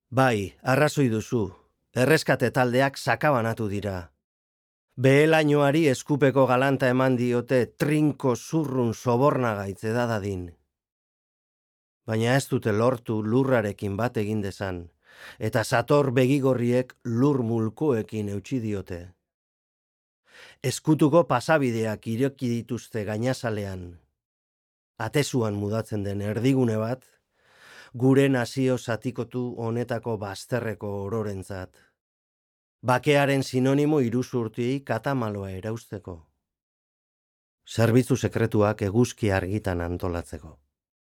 Bai, arrazoi duzu. Erreskate taldeak sakabanatu dira. Behelainoari eskupeko galanta eman diote trinko zurrun sobornagaitze dadadin. Baina ez dute lortu lurrarekin bat egin dezan, eta sator begigorriek lur mulkoekin eutsi diote. Eskutuko pasabideak ireki dituzte gainazalean. Atezuan mudatzen den erdigune bat, gure nazio zatikotu honetako bazterreko ororentzat. Bakearen sinonimo iruzurtiei katamaloa erausteko. Zerbitzu sekretuak eguzki argitan antolatzeko.